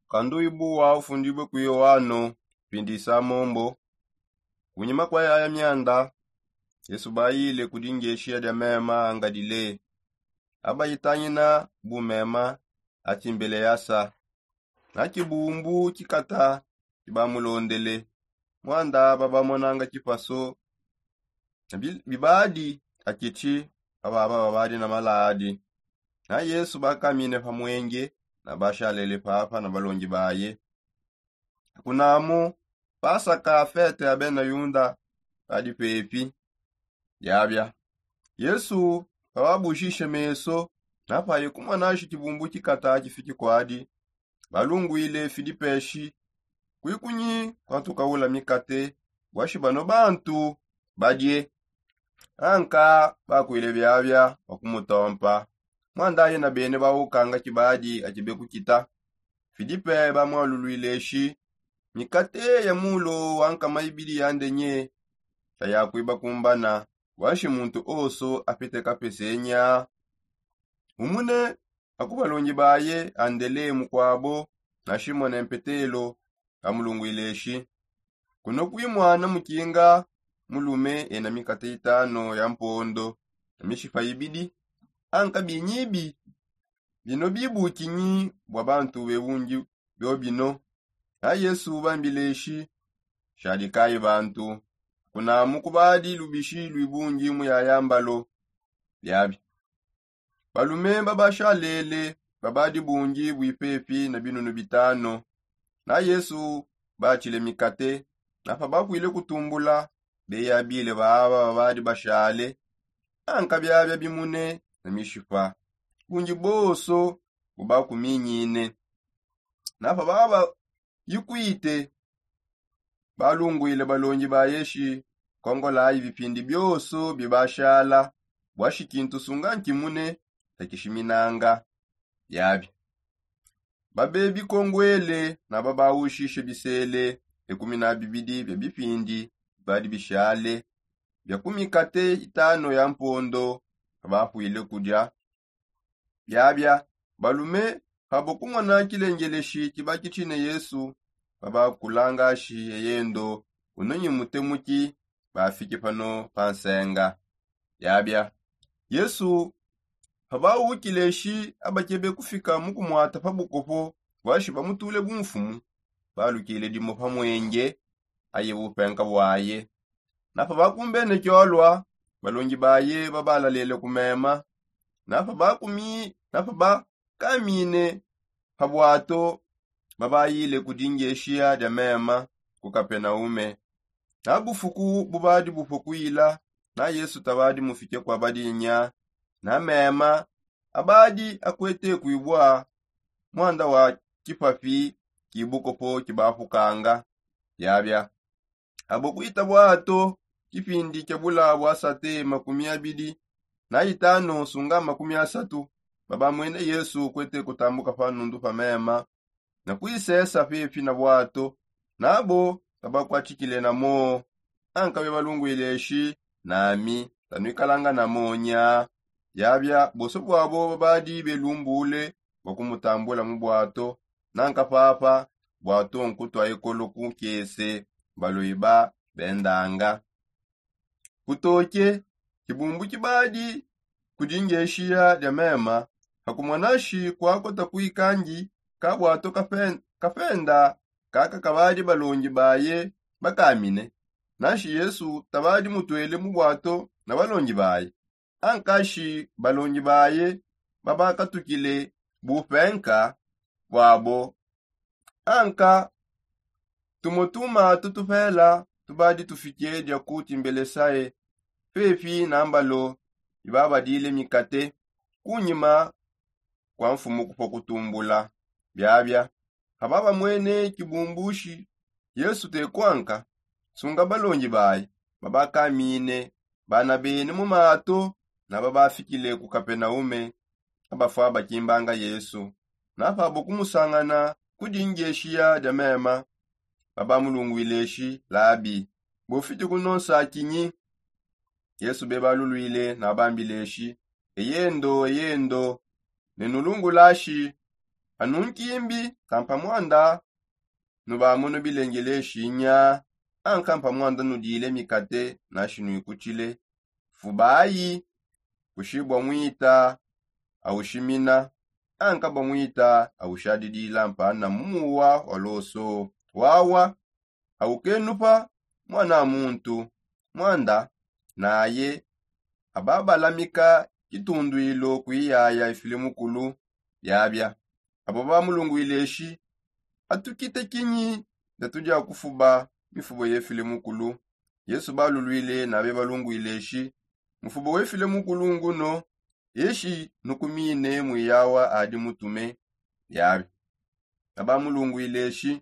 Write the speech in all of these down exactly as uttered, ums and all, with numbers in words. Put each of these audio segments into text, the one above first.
Kanduibu wa ufundibue ku yoano. Pindisa mombo. Kunyima kua yaya mianda, yesu bayile ku dingeshiya dia mema angalile. Abayitangina bu mema atimbele yasa na kibumbu kikata kibamulondele. Muanda babamonanga kipaso bibadi akitshi ababa babadi na maladi. Na yesu bakamine pa mwenge na bashalele papa na balongi baye. Kunamu pasaka fete ya bena yunda badi pepi. Biabia yesu pababushishe meso, na paye kumona shi kibumbu kikata kifiki kwadi, balungwile filipe shi, kwikunyi kwatukaula mikate bua shi bano bantu badie? Anka bakwile biabia bua kumutompa. Muandaye na bene bawukanga kibadi akibe kukita. Filipe bamualulwile shi, mikate ya mulo wa nkama ibidi ya ndenye tayakuiba kumbana bua shi muntu oso apite kapesenya? Umune aku balongi baye andele mukuabo na shimone mpetelo, bamulungwile shi, kuno kuimwana mukinga mulume ena mikate itano ya mpondo na mishipa ibidi. Anka binyibi bino bibukinyi bua bantu bebungi biobino? Na yesu bambile shi, shadikayi bantu. Kunamu kubadi lubishi luibungi mu yaya mbalo. Biabi balume babashalele babadi bungi bui pepi na binunu bitano. Na yesu batshile mikate, na pabakwile kutumbula, beyabile baaba babadi bashale. Anka biabia bimune na mishipa bungi bonso bubakuminyine. Na pababa yikwite, balungwile balongi baye shi, kongolayi bipindi bionso bibashala bua shi kintu sunga nkimune takishiminanga. Biabi babe bikongwele na babawushishe bisele ekumi na bibidi bia bipindi bibadi bishale bia ku mikate itano ya mpondo, babapwile kudia. Biabia balume pabo kumona kilengeleshi kibakitshine yesu, babakulanga shi eyendo ununyi mutemuki bafike pano pa nsenga. Biabia yesu pabawukile shi abakebe kufika mu kumuata pa bukopo bua shi bamutule bumfumu, balukile dimue pa mwenge aye bupenka buaye. Na pabakumbene kiolua, balongi baye babalalele ku mema. Na pabakamine pa buato, babayile ku dingeshiya dia mema ku kapenaume. Na bufuku bubadi bupue kuila, na yesu tabadi mufike kua badinya. Na mema abadi akuete kuibua muanda wa kipapi ki bukopo kibapukanga. Biabia abo kuita buato kipindi kia bula bua sate makumi abidi na itano sunga makumi asatu, babamwene yesu kuete kutambuka pa nundu pa mema na kuisesa pepi na buato. Nabo kabakuatshikile na moo. Anka bebalungwile shi, nami tanuikalanga na moo nya? Biabia bonso buabo babadi belumbule bua kumutambula mu buato. Nanka papa buato nkutua ekolo ku nkese, baloiba bendanga. Kutoke kibumbu kibadi ku dingeshiya dia mema, pakumona shi kuakota kuikangi ka buato kapenda kaka kabadi balongi baye bakamine. Nashi yesu tabadi mutuele mu buato na balongi baye. Ankashi balongi baye babakatukile bupenka buabo. Anka tumue tumatu tupela tubadi tufike dia ku timbelesaye pepi na mbalo ibabadile mikate, kunyima kua mfumu kupua kutumbula. Biabia pababamwene kibumbushi yesu tekuanka, sunga balongi baye babakamine bana bene mu mato na babafikile ku kapenaume. Abafua bakimbanga yesu na pabo kumusangana ku dingeshiya dia mema, babamulungwile shi, labi, bufidi kunonsa kinyi? Yesu bebalulwile nabambile shi, eyendo eyendo, nenulungula shi Anu nkimbi kampa mwanda nubamono bilengeleshi nya? Ankampa mwanda nudile mikate nashi nuikutshile? Fubayi kushibua mwita awushimina, ankabua mwita awushadidila mpana muwa wa loso wawa awukenupa mwana muntu. Mwanda naye ababalamika kitunduilo kuiyaya ifile mukulu. Biabia abo bamulungwile eshi atukite kinyi? Datudia kufuba mifubo yefile mukulu. Yesu balulwile nabe balungwile eshi mufubo wefile mukulu nguno eshi nukumine mwiyawa adi mutume. Biabia abamulungwile eshi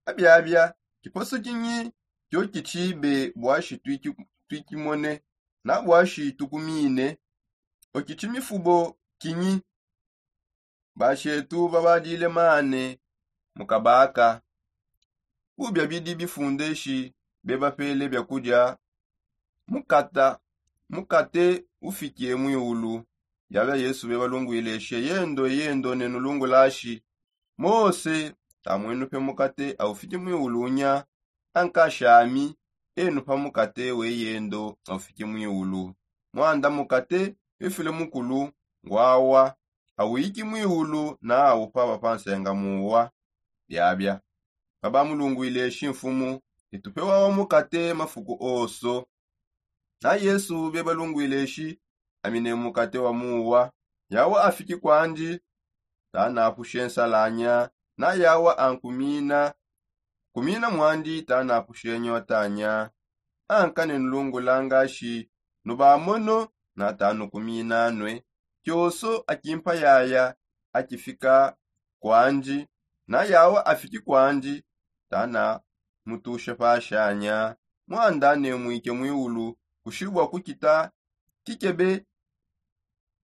abiabia kiposo kinyi? Kio kitshibe bwashi tuikimone na bwashi tukumine? Okitshi mifubo kinyi? Bashetu babadile mane mukabaka ubia bidi bifundeshi bebapele biakudia mukata mukate ufike mwiulu. Biabia yesu bebalungwile eshi eyendo eyendo nenulungulashi mose tamwenupe mukate aufike mwiulu nya? Ankashami enu pa mukate weyendo aufike mwiulu. Mwanda mukate wefile mukulu ngwawa awiki mwiulu na awupaba pa nsenga muwa. Biabia babamulungwile eshi mfumu itupe wawa mukate mafuku oso. Na yesu bebalungwile eshi amine mukate wa muwa yawa afiki kwandi tanapushe nsalanya na yawa ankumina kumina mwandi tanapushe nyota nya? Anka nenulungulanga shi nubamono na tanukumina nwe kioso akimpa yaya akifika kwandi na yawa afiki kwandi tanamutushe pashanya. Mwanda nemwike mwiulu kushibua kukita kikebe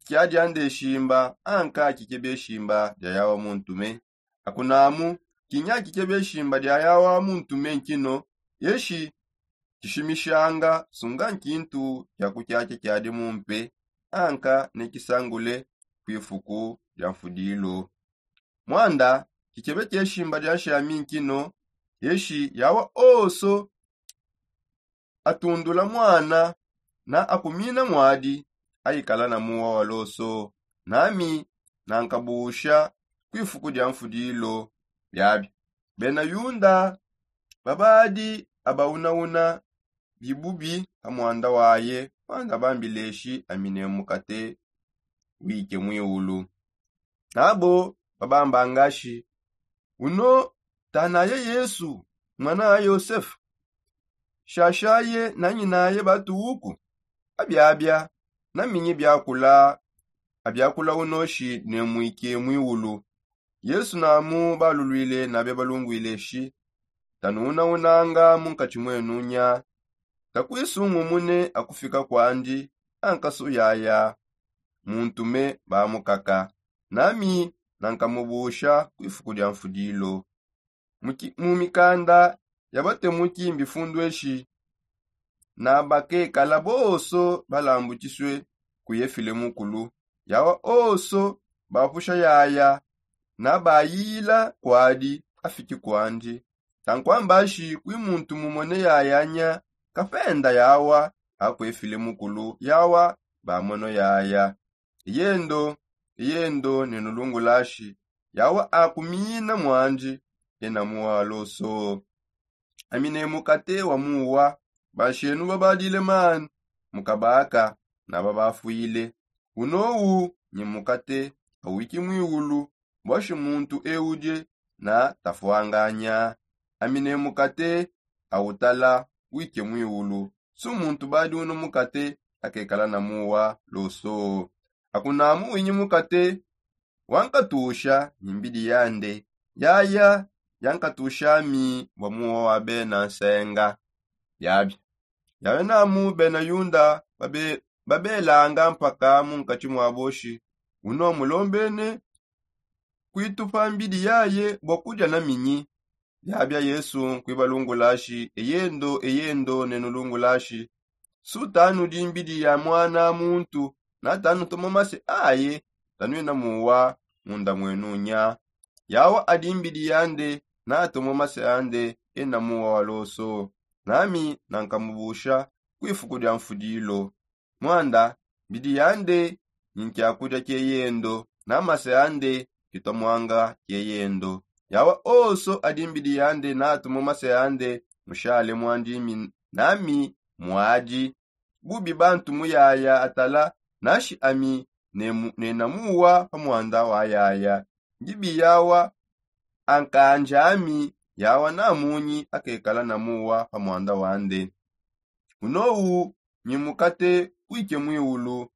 kia diande shimba anka kikebe shimba dia yawa muntume. Akunamu kinya kikebe shimba dia yawa muntume nkino eshi kishimishanga sunga nkintu kia kukiakia kiadi mumpe anka nekisangule kwifuku dia mfudilo. Mwanda kikebe kieshimba dia nshami nkino eshi yawa oso atundula mwana na akumina mwadi aikala na muwa wa loso nami nankabusha kwifuku dia mfudilo. Biabi bena yunda babadi abaunawuna bibubi pa mwanda waye mwanda bambileshi amine mukate wike mwiulu. Nabo babambangashi uno tanaye yesu mwana a yosefa? Shashaye nanyinaye batuuku? Abiabia naminyi biakula abiakula unoshi nemwike mwiulu. Yesu namu balulwile nabe balungwile shi tanuunaunanga munkatshi mwenu nya? Takwisungumune akufika kwandi ankasu yaya muntume bamukaka nami nankamubusha kwifuku dia mfudilo. Mu mikanda ya batemuki mbifundweshi na bakekala bonso balambukisue ku yefile mukulu yawa onso bapusha yaya na bayiyila kuadi afiki kuandi. Tankuambashi kui muntu mumone yaya nya kapenda yawa akuefile mukulu yawa bamono yaya. Eyendo eyendo nenulungulashi yawa akumina muandi ena muwaloso. Amine mukate wa muwa banshenu babadile mani mukabaka na babafuile. Unowu nyi mukate awiki mwiulu bwashi muntu eudie na tafuanganya. Amine mukate awutala wike mwiulu su muntu badi uno mukate akekala na muwa loso. Akunamu winyi mukate wankatusha nyi mbidi yande yaya yankatusha mi bua muwa wa bena nsenga. Biabi yawe namu bena yunda babelanga mpaka munkatshi mua boshi uno mulombene kuitupa mbidi yaye bua kudia na minyi? Biabia yesu nkuibalungulashi eyendo eyendo nenulungulashi su tanudi mbidi ya muana muntu na tanutoma mase aye tanuena muwa munda muenu nya? Yawa adi mbidi yande, natuma mase ande ena muwa wa loso, nami nankamubusha kwifuku dia mfudilo. Mwanda mbidi yande ni nkiakudia kieyendo, na mase ande kitomwanga kieyendo. Yawa oso adi mbidi yande natuma mase ande mushale mwandimi, nami mwadi bubi bantu muyaya atala, nashi ami nena muwa pa mwanda wayaya. Ndibi yawa ankanja ami, yawa namunyi akekala na muwa pa mwanda wande. Unowu nyimukate wike mwiwulu.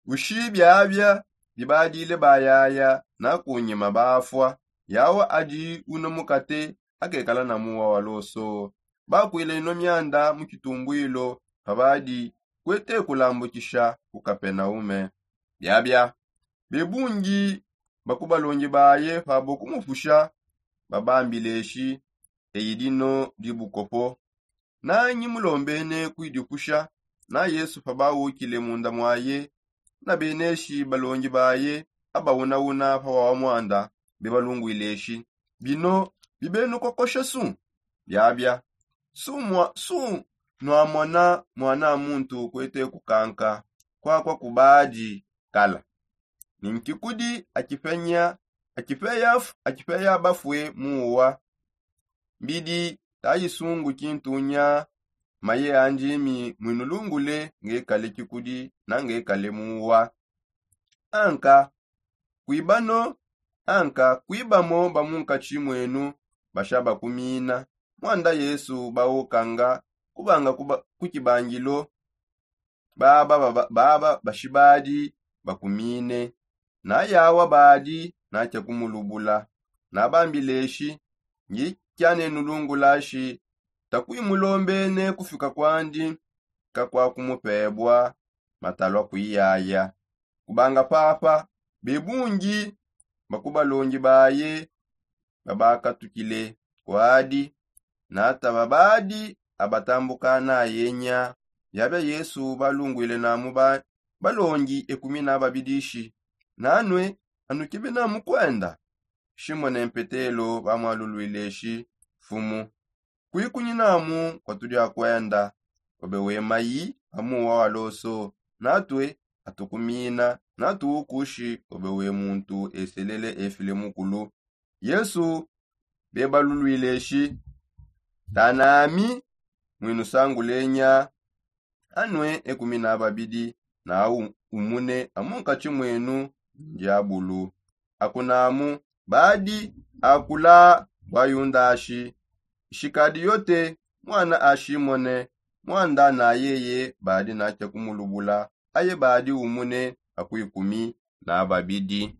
Ushi biabia bibadile bayaya na kunyima bafua, yawa adi uno mukate akekala na muwa wa loso. Bakwila ino mianda mu kitumbwilo pabadi kwete kulambukisha ku kapenaume. Biabia bebungi baku balongi baye pabo kumupusha, babambileshi eyi dino dibukopo. Nanyi mulombene kuidipusha? Na yesu pabawukile munda mwaye, na beneshi balongi baye abawunauna pa wawa mwanda bebalungwileshi, bino bibenukokosha su? Biabia su nwamona mwana muntu kwete kukanka kwakwa kubadi kala? Ni nkikudi akipenya akipeya bafue muwa. Mbidi tayisungu kintunya maye andimi mwinulungule ngekale kikudi na ngekale muwa. Anka kwibano anka kwibamo bamunkatshi mwenu basha bakumina. Mwanda yesu bawukanga kubanga ku kibangilo baba baba bashibadi bakumine. Na yawa badi natya kumulubula, nabambileshi, ngi kyanenulungulashi, takwimulombene kufika kwandi kakwakumupebwa matalwa kwiyaya. Kubanga papa bebungi baku balongi baye babakatukile kwadi, na tababadi abatambuka nayenya. Biabia yesu balungwile namu balongi ekumi na babidishi, nanue anukebe namu kwenda? Shimone mpetelo bamwalulwileshi, fumu, kwikunyi namu kwatudi akwenda, obe wemayi amuwa wa loso, natue atukumina natuwukushi obe we muntu eselele efile mukulu. Yesu bebalulwileshi, tanami mwinusangulenya. Anue ekumi na babidi na umune amunkatshi mwenu ndiabulu. Akunamu badi akula bua yundashi, ishikadi yote mwana a shimone, mwanda na yeye badi natya kumulubula, aye badi umune aku ikumi na babidi.